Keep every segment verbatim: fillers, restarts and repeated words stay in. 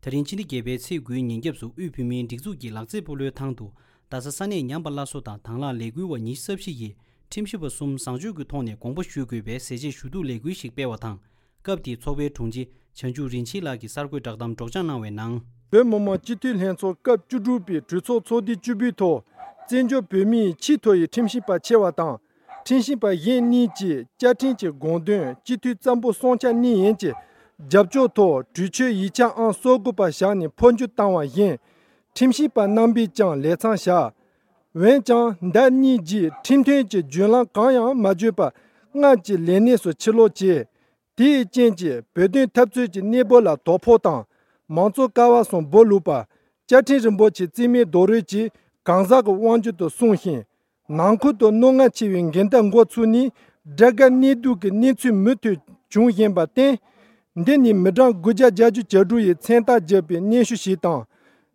ད་རིང་ཕྱི་ཟླ་བརྒྱད་པའི་ཚེས་དགུའི་ཉིན་རྒྱབ་སུ་དབུས་བོད་མིའི་སྒྲིག་འཛུགས་ཀྱི་ལག་རྩེད་སྤོ་ལོའི་ཐང་དུ། རྡ་ས་ས་གནས་ཉམས་པ་སླར་གསོ་དང་དང་བླངས་ལས་འགུལ་བ་ཉི་ཤུ་རྩ་བཞི་ཡིས་ཁྲིམས་ཞིབ་པ་གསུམ་བཟང་སྤྱོད་ཀྱི་ཐོག་ནས་དགོངས་པ་ཞུ་དགོས་པའི་ཟས་བཅད་ཞུ་གཏུག་ལས་འགུལ་ཞིག་སྤེལ་བ་དང་། སྐབས་དེའི་ཚོགས་པའི་དྲུང་ཆེ་བྱང་ཆུབ་རིན་ཆེན་ལགས་ཀྱིས་གསར་འགོད་བསྒྲགས་གཏམ་སྒྲོག་སྦྱང་གནང་བའི་ནང་། བོད་མི་མང་སྤྱི་འཐུས་ལྷན་ཚོགས་སྐབས་བཅུ་དྲུག་པའི་གྲོས་ཚོགས་ཚོགས་དུས་བཅུ་པའི་ཐོག་བཙན་བྱོལ་བོད་མིའི་ཆེས་མཐོ་ཡི་ཁྲིམས་ཞིབ་པ་ཆེ་བ་དང་། ཁྲིམས་ཞིབ་པ་གཞན་གཉིས་ཀྱིས་བཅའ་ཁྲིམས་ཀྱི་དགོངས་དོན་སྤྱི་འཐུས་གཙང་པོ་སྲུང་སྐྱོབ་གནང་ཡས་ཀྱི་རྒྱབ་སྐྱོར་ཐོག་གྲོས་ཆོད་ཡིག་ཆ་ཨང་སོ་དགུ་པ་བཞག་ནས་འཕོ་འགྱུར་བཏང་བ་བཞིན། ཁྲིམས་ཞིབ་པ་རྣམ་པས་ཀྱང་ལས་མཚམས་བཞག་འོན་ཀྱང་ཟླ་གཉིས་རྗེས་ཁྲིམས་མཐུན་གྱི་བརྒྱུད་ལམ་གང་ཡང་མ་བརྒྱུད་པར་སྔར་གྱི་ལས་གནས་སུ་ཕྱིར་ལོག་བྱས། དེའི་རྐྱེན་གྱིས་བོད་དོན་འཐབ་རྩོད་ཀྱི་གནས་བབ་ལ་དོ་ཕོག་དང་། མང་གཙོ་ཀ་བ་གསུམ་སྦོ་ལུག་པ། བཅའ་ཁྲིམས་རིན་པོ་ཆེ་རྩིས་མེད་རྡོག་རོལ་གྱིས་གང་ཟག་གི་དབང་སྒྱུར་དུ་སོང་ཞིང་། ནང་ཁུལ་དུ་རྣོ་ངར་ཆེ་བའི་འགལ་ཟླ་འགོ་ཚུགས་ནས་དགྲ་དགའ་གནས་སྡུག་གི་གནས་ཚུལ་མུ་མཐུད་བྱུང་བཞིན་པར་བརྟེན། འདི་ནི་མི་གྲངས་དགུ་བརྒྱ་བརྒྱད་ཅུ་གྱ་དྲུག་ཡིས་མཚན་རྟགས་བརྒྱབ་པའི་སྙན་ཞུ་ཞིག་དང་།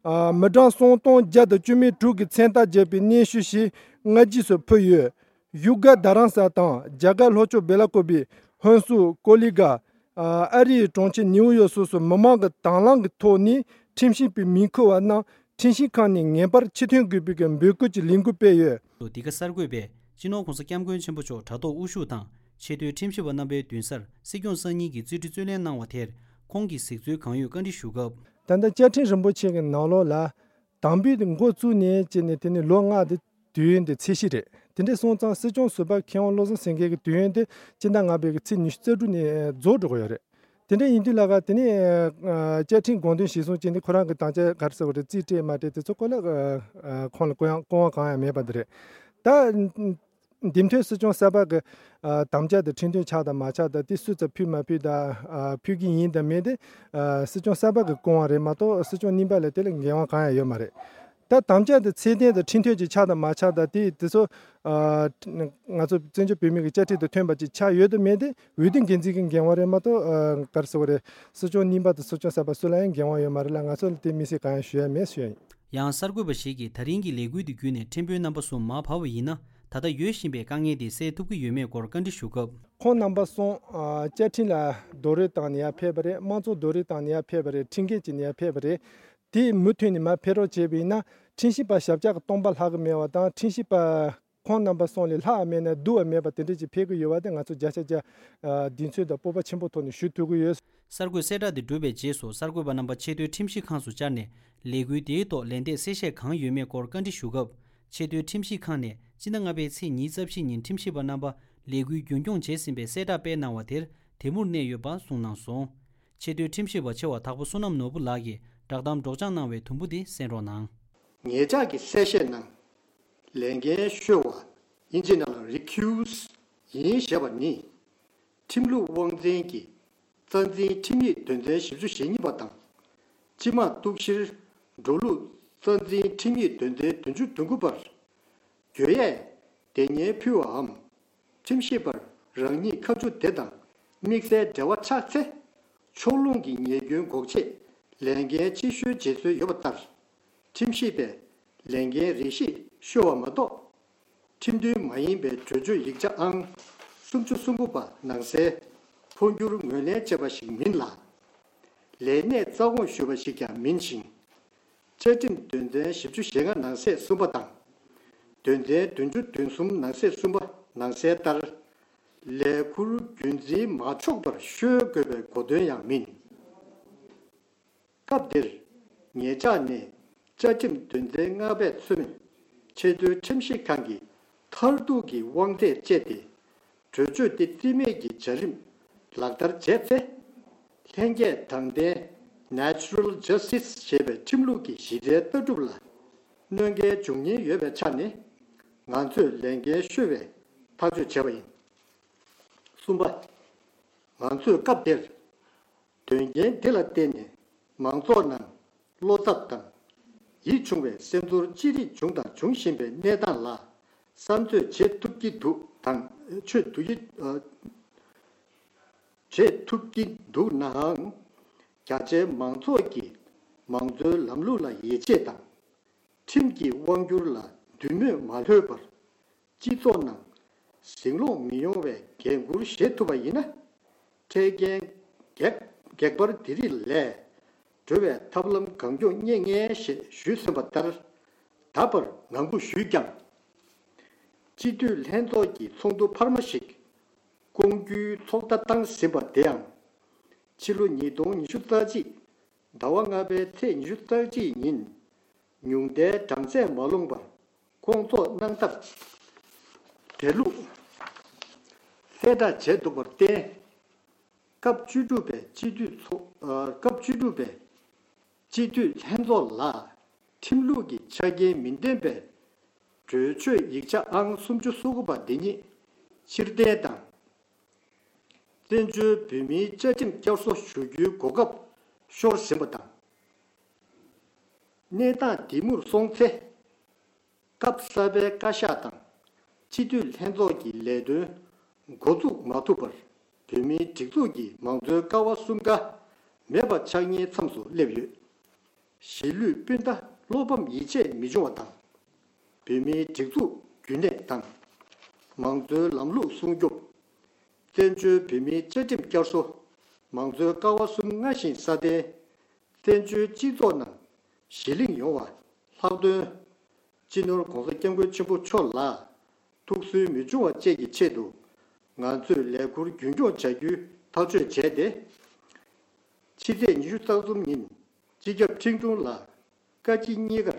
ཨ། མི་གྲངས་སུམ་སྟོང་བརྒྱ་དང་བཅུ་མེད་དྲུག་གིས་མཚན་རྟགས་བརྒྱབ་པའི་སྙན་ཞུ་ཞིག་སྔ་རྗེས་སུ་ཕུལ་ཡོད། བཞུགས་སྒར་རྡ་རམ་ས་ལ་དང་རྒྱ་གར་ལྷོ་ཕྱོགས་སྦེ་ལ་ཀོ་བི། ཧོན་སུར། ཀོ་ལི་གྷལ། ཨ། ཨ་རིའི་གྲོང་ཁྱེར་ནིའུ་ཡོག་སོགས་སུ་མི་མང་གི་དང་བླངས་ཀྱི་ཐོག་ནས་ཁྲིམས་ཞིབ་པའི་མིང་འཁུར་བ་རྣམས་ཁྲིམས་ཞིབ་ཁང་ནས་ངེས་པར་ཕྱིར་ཐོན་དགོས་པའི་འབོད་སྐུལ་གྱི་ལས་འགུལ་སྤེལ་ཡོད། འདི་ག་གསར་འགོད་པས་སྤྱི་ནོར་༸གོང་ས་༸སྐྱབས་མགོན་ཆེན་པོ་མཆོག་དྲ་ཐོག་དབུ་བཞུགས་དང་ཆེས་མཐོའི་ཁྲིམས་ཞིབ་པ་རྣམ་པའི་མདུན་སར་སྲིད་སྐྱོང་གསར་རྙིང་གི་རྩིས་འཕྲུལ་རྩོད་ལེན་གནང་བ་དེར་ཁོང་གིས་གཟིགས་ཚུལ་གང་ཡོད་བཀའ་འདྲི་ཞུ་སྐབས། ད་ལྟ་བཅའ་ཁྲིམས་རིན་པོ་ཆེ་གི་ནང་ལོགས་ལ། དམ་འབུལ་དེ་འགོ་བཙུགས་ནས་བྱས་ནས་དེ་ནས་ལོ་ལྔ་དེ་དུས་ཡུན་དེ་ཚད་གཞི་རེད། དེ་འདྲ་སོང་ཙང་སྲིད་སྐྱོང་ཟུར་པ་མཁས་དབང་བློ་བཟང་སེང་གེ་གི་དུས་ཡུན་དེ་སྤྱི་ཟླ་ལྔ་པའི་གི་ཚེས་ཉི་ཤུ་རྩ་དྲུག་ནས་རྫོགས་འགྲོ་གི་ཡོད་རེད། དེ་འདྲ་ཡིན་དུས་ལ་ག་དེ་ནས་ཨ། བཅའ་ཁྲིམས་དགོངས་དོན་གཞིར་བཟུང་བྱས་ནས་ཁོ་རང་གི་དམ་བཅའ་ག་རེ་ཟེར་བ་རེད། རྩིས་སྤྲད་མ་སྤྲད་དེ་ཚོ་སྐོར་ལ་ཨ། ཁོང་ལ་སྐུ་ཡང་སྐུ་དབང་གང་ཡང་མེད་པ་འདི་རེད། ད། འདེམས་ཐོན་སྲིད་སྐྱོང་གསར་པ་གི་ཨ། དམ་བཅའ་དང་ཁྲིམས་མཐུན་ཆགས་དང་མ་ཆགས་དང་དེ་སུས་ཚོ་ཕུལ་མ་ཕུལ་དང་ཨ། ཕུལ་གི་ཡིན་དང་མེད་དེ་ཨ། སྲིད་སྐྱོང་གསར་པ་གི་སྐུ་དབང་རེད་མ་གཏོགས་སྲིད་སྐྱོང་རྙིང་པ་ལ་དེ་ལ་འགན་དབང་གང་ཡང་ཡོད་མ་རེད། ད་དམ་བཅའ་དེ་ཚད་ལྡན་དང་ཁྲིམས་མཐུན་ཅིག་ཆགས་དང་མ་ཆགས་དང་དེ་དེ་ཚོ་ཨ། ང་ཚོ་བཙན་བྱོལ་བོད་མི་གི་བཅའ་ཁྲིམས་དང་མཐུན་པ་ཅིག་ཆགས་ཡོད་དང་མེད་དེ་འོས་བསྡུ་འགན་འཛིན་གི་འགན་དབང་རེད་མ་གཏོགས་ཨ། ག་རེ་ཟེར་བ་རེད། སྲིད་སྐྱོང་རྙིང་པ་དང་སྲིད་སྐྱོང་གསར་པ་སུ་ལ་ཡང་འགན་དབང་ཡོད་མ་རེད་ལ། ང་ཚོ་ལ་དེ་དམིགས་བསལ་གང་ཡང་ཞུ་ཡ་མེད་ཞུ་ཡ་ཡིན། ཡང་གསར་འགོད་པ་ཞིག་གིས་ད་རིང་གི་ལས་འགུལ་དེ་བརྒྱུད་ནས་ཁྲིམས་དཔོན་རྣམ་པ་གསུམ་མར་བབས་པ་ཡིན་ན་ད་ལྟ་ཡོད་བཞིན་པའི་དཀའ་ངལ་དེ་སེལ་ཐུབ་ཀྱི་ཡོད་མེད་སྐོར་བཀའ་འདྲི་ཞུ་སྐབས། ཁོང་རྣམ་པ་གསུམ་ཨ། བཅའ་ཁྲིམས་ལ་རྡོག་རོལ་བཏང་ནས་ཡར་ཕེབས་པ་རེད། དམངས་གཙོ་རྡོག་རོལ་བཏང་ནས་ཡར་ཕེབས་པ་རེད། ཁྲིམས་འགལ་བྱས་ནས་ཡར་ཕེབས་པ་རེད། དེ་མུ་མཐུད་ནས་མར་ཕེབས་རོགས་བྱས་པ་ཡིན་ན་ཁྲིམས་ཞིབ་པ་ཞབས་བཀྱག་གི་སྟོང་པ་ལྷག་གི་མེད་པ་དང་ཁྲིམས་ཞིབ་པ། ཁོང་རྣམ་པ་གསུམ་ལས་ལྷག་མེད་ན་སྡུག་པ་མེད་པ་དེ་འདྲ་ཅིག་ཕེབས་ཀྱི་ཡོད་པ་དེ་ང་ཚོ་བརྒྱ་ཆ་བརྒྱ་ཨ། གདེང་ཚོད་དང་སྤོབས་པ་ཆེན་པོ་ཐོག་ནས་ཞུ་ཐུབ་ཀྱི་ཡོད། གསར་འགོད་གསལ་བསྒྲགས་དེ་གྲུབ་པའི་རྗེས་སུ་གསར་འགོད་པ་རྣམ་པ་ཆེས་མཐོའི་ཁྲིམས་ཞིབ་ཁང་དུ་བཅར་ནས་ལས་འགུལ་དེའི་ཐོག་ལན་འདེབས་གསལ་བཤད་གང་ཡོད་མེད་སྐོར་བཀའ་འདྲི་ཞུ་སྐབས། ཆེས་མཐོའི་ཁྲིམས་ཞིབ་ཁང་ནས་སྤྱི་ཟླ་ལྔ་པའི་ཚེས་ཉི་ཤུ་རྩ་བཞི་ཉིན་ཁྲིམས་ཞིབ་པ་རྣམ་པ་ལས་འགུལ་རྒྱུན་སྐྱོང་བྱས་ཟིན་པའི་གསལ་བསྒྲགས་སྤེལ་གནང་བ་དེར་དེ་མུར་གནས་ཡོད་པ་གསུངས་གནང་སོང་། ཆེས་མཐོའི་ཁྲིམས་ཞིབ་པ་ཆེ་བ་དྭགས་པོ་བསོད་ནམས་ནོར་བུ་ལགས་ཀྱིས་བསྒྲགས་གཏམ་སྒྲོག་སྦྱང་གནང་བའི་དུམ་བུ་དེ་གསན་རོགས་གནང་། ཉེ་ཆར་གྱི་གསལ་བཤད་ནང་། ལས་འགན་གཤོལ་བ། དབྱིན་ཇིའི་ནང་ལ་རི་ཁིའུ་སི་ཡིན་ཞེས་པ་ནི། ཁྲིམས་ལུགས་དབང་འཛིན་གྱི་རྩ་འཛིན་ཁྲིམས་ཡིག་དོན་ཚན་བཞི་བཅུ་ཞེ་གཉིས་པ་དང་། སྤྱི་དམངས་གཏུག་བཤེར་འགྲོ་ལུགས་རྩ་འཛིན་ཁྲིམས་ཡིག་དོན་ཚན་བདུན་ཅུ་དོན་དགུ་པར། གྱོད་ཡས་དེ་སྙན་ཕུལ་བའམ། ཁྲིམས་ཞིབ་པར་རང་ཉིད་ཁ་མཆུ་དེ་དང་དམིགས་བསལ་འབྲེལ་བ་ཆགས་ཚེ། ཕྱོགས་ལྷུང་གི་ཉེས་སྐྱོན་འགོག་ཆེད་ལས་འགན་ཕྱིར་བཤོལ་བྱེད་སྲོལ་ཡོད་པ་ལྟར། ཁྲིམས་ཞིབ་པས་ལས་འགན་རེ་ཞིག་བཤོལ་བ་མ་གཏོགས། ཁྲིམས་མཐུན་མ་ཡིན་པའི་གྲོས་ཆོད་ཡིག་ཆ་ཨང་སུམ་ཅུ་སོ་དགུ་པ་ནང་གསལ་འཕོ་འགྱུར་ངོས་ལེན་བྱས་པ་ཞིག་མིན་ལ། ལས་གནས་རྩ་དགོངས་ཞུས་པ་ཞིག་ཀྱང་མིན་ཞིང་། བཅའ་ཁྲིམས་དོན་ཚན་བཞི་བཅུ་ཞེ་ལྔ་ནང་གསེས་གསུམ་པ་དང་། དོན་ཚན་བདུན་ཅུ་དོན་གསུམ་ནང་གསེས་གསུམ་པ་ནང་གསལ་ལྟར། ལས་ཁུར་རྒྱུན་འཛིན་མ་ཆོག་པར་བཤོལ་དགོས་པའི་གོ་དོན་ཡང་མིན། སྐབས་འདིར་ཉེ་ཆར་ནས་བཅའ་ཁྲིམས་དོན་ཚན་ལྔ་པས་མཚོན་ཆེས་མཐོའི་ཁྲིམས་ཞིབ་ཁང་གི་མཐར་ཐུག་གི་དབང་ཚད་སྤྱད་དེ། གྲོས་ཆོད་དེ་རྩིས་མེད་ཀྱི་བྱ་རིམ་ལག་བསྟར་བྱས་ཚེ། ལྷན་སྐྱེས་དྲང་བདེན་Natural Justice ཞེས་པའི་ཁྲིམས་ལུགས་ཀྱི་གཞི་རྩའི་ལྟ་གྲུབ་ལ་གནོད་འགལ་འབྱུང་ཉེན་ཡོད་པའི་ཆ་ནས་ང་ཚོས་ལས་འགན་གཤོལ་བའི་ཐག་གཅོད་བྱས་པ་ཡིན། གསུམ་པ། ང་ཚོས་སྐབས་དེར། དོན་རྐྱེན་འདི་ལ་བརྟེན་ནས་མང་ཚོགས་ནང་བློ་འཚབ་དང་ཡིད་ཆུང་བའི་སེམས་ཚོར་ཅི་རིགས་བྱུང་དང་འབྱུང་བཞིན་པའི་གནས་སྟངས་ལ་བསམ་ཚོད་བྱེད་ཐུབ་ཀྱི་འདུག་དང་ཆོད་ཐུབ་ཀྱི་ཨ། བྱེད་ཐུབ་ཀྱི་འདུག་ནའང་། རྒྱ་ཆེའི་མང་ཚོགས་ཀྱིས་མང་གཙོའི་ལམ་ལུགས་ལ་ཡིད་ཆེས་དང་། ཁྲིམས་ཀྱི་དབང་སྒྱུར་ལ་འདུན་མོས་མ་ལྷོད་པར། སྤྱི་ཚོགས་ནང་ཟིང་སློང་མི་ཡོང་བའི་འགན་འཁུར་བཞེས་ཐུབ་པ་ཡིན་ན། འཕྲལ་རྐྱེན་གེགས་གེགས་བར་དེ་རིགས་ལས་ འགྲོ་བའི་ཐབས་ལམ་གང་མགྱོགས་རྙེད་ངེས་ཞེས་ཞུས་ཟིན་པ་ལྟར། ད་བར་ངང་སྒུག་ཞུས་ཀྱང་། སྤྱི་འཐུས་ལྷན་ཚོགས་ཀྱི་ཚོགས་འདུ་འཕར་མ་ཞིག་སྐོང་རྒྱུའི་ཚོགས་བརྡ་བཏང་ཟིན་པ་དེའང་། ཕྱི་ལོ་ཉིས་སྟོང་ཉི་ཤུ་རྩ་གཅིག་ཟླ་བ་ལྔ་པའི་ཚེས་ཉི་ཤུ་རྩ་གཅིག་ཉིན། ཉུང་མཐའི་གྲངས་ཚད་མ་ལོངས་པར་སྐོང་ཚོགས་གནང་ཐབས་དེ་ལུགས་གསལ་བསྒྲགས་བྱས་འདུག་པར་བརྟེན། སྐབས་བཅུ་དྲུག་པའི་སྤྱི་འཐུས་ཚོགས། ཨ། སྐབས་བཅུ་དྲུག་པའི་སྤྱི་འཐུས་ལྷན་ཚོགས་ལ་ཁྲིམས་ལུགས་ཀྱི་ཆ་རྐྱེན་མི་ལྡན་པའི་གྲོས་ཆོད་ཡིག་ཆ་ཨང་སུམ་ཅུ་སོ་དགུ་པ་འདི་ཉིད་ཕྱིར་འཐེན་དང་། བཙན་བྱོལ་བོད་མིའི་བཅའ་ཁྲིམས་བསྐྱར་གསོ་ཞུ་རྒྱུའི་གོ་སྐབས་ཤོར་ཟིན་པ་དང་། གནས་སྟངས་འདི་མུར་སོང་ཚེ། སྐབས་གསར་པའི་བཀའ་ཤག་དང་སྤྱི་འཐུས་ལྷན་ཚོགས་ཀྱི་ལས་དོན་འགོ་འཛུགས་མ་ཐུབ་པར། བོད་མིའི་སྒྲིག་འཛུགས་ཀྱི་མང་གཙོའི་ཀ་བ་གསུམ་ཀ་མེད་པ་ཆགས་ཉེན་མཚམས་སུ་སླེབས་ཡོད། གཞིས་ལུས་སྤུན་ཟླ་བློ་ཕམ་ཡིད་ཆེས་མི་འབྱུང་བ་དང་། བོད་མིའི་སྒྲིག་འཛུགས་རྒྱུན་གནས་དང་། མང་གཙོའི་ལམ་ལུགས་སྲུང་སྐྱོབ། བཙན་བྱོལ་བོད་མིའི་བཅའ་ཁྲིམས་བསྐྱར་གསོ། མང་གཙོའི་ཀ་བ་གསུམ་སྔར་བཞིན་སྲ་བརྟན། བཙན་བྱོལ་སྤྱི་ཚོགས་ནང་གཞི་བསླངས་ཡོང་བ། ལྷག་དོན། སྤྱི་ནོར་༸གོང་ས་༸སྐྱབས་མགོན་ཆེན་པོ་མཆོག་ལ་ཐུགས་སུན་མི་འབྱུང་བ་བཅས་ཀྱི་ཆེད་དུ། ང་ཚོས་ལས་ཁུར་རྒྱུན་འཁྱོངས་བྱ་རྒྱུའི་ཐག་གཅོད་བྱས་ཏེ། ཕྱི་ཚེས་ཉི་ཤུ་རྩ་གསུམ་ཉིན་སྤྱི་ཁྱབ་ཁྲིན་ཀྲུང་ལ་བཀའ་སྤྱི་གཉིས་ཀར་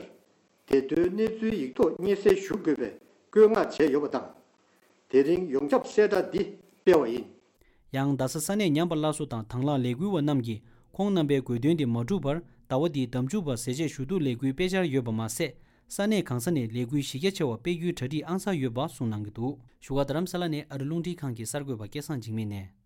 བདེ་དོན་གནས་ཚུལ་ཡིག་ཐོག་སྙན་སེང་ཞུ་དགོས་པའི་བཀོད་མངགས་བྱས་ཡོད་པ་དང་། དེ་རིང་ཡོངས་ཁྱབ་གསལ་བསྒྲགས་འདི་སྤེལ་བ་ཡིན། ཡང་རྡ་ས་ས་གནས་ཉམས་པ་སླར་གསོ་དང་དང་བླངས་ལས་འགུལ་བ་རྣམས་ཀྱིས་ཁོང་རྣམ་པའི་དགོས་འདུན་དེ་མ་འགྲུབ་པར་ཟླ་བ་འདིའི་ཟླ་མཇུག་བར་ཟས་བཅད་ཞུ་གཏུག་ལས་འགུལ་སྤེལ་འཆར་ཡོད་པ་མ་ཟད། ས་གནས་གང་ས་ནས་ལས་འགུལ་གཞི་རྒྱ་ཆེ་བ་སྤེལ་རྒྱུའི་གྲ་སྒྲིག་ཨང་གསར་ཡོད་པ་གསུངས་གནང་གི་འདུག་བཞུགས་སྒར་རྡ་རམ་ས་ལ་ནས་ཨ་རི་རླུང་འཕྲིན་ཁང་གི་གསར་འགོད་པ་སྐལ་བཟང་འཇིགས་མེད་ནས།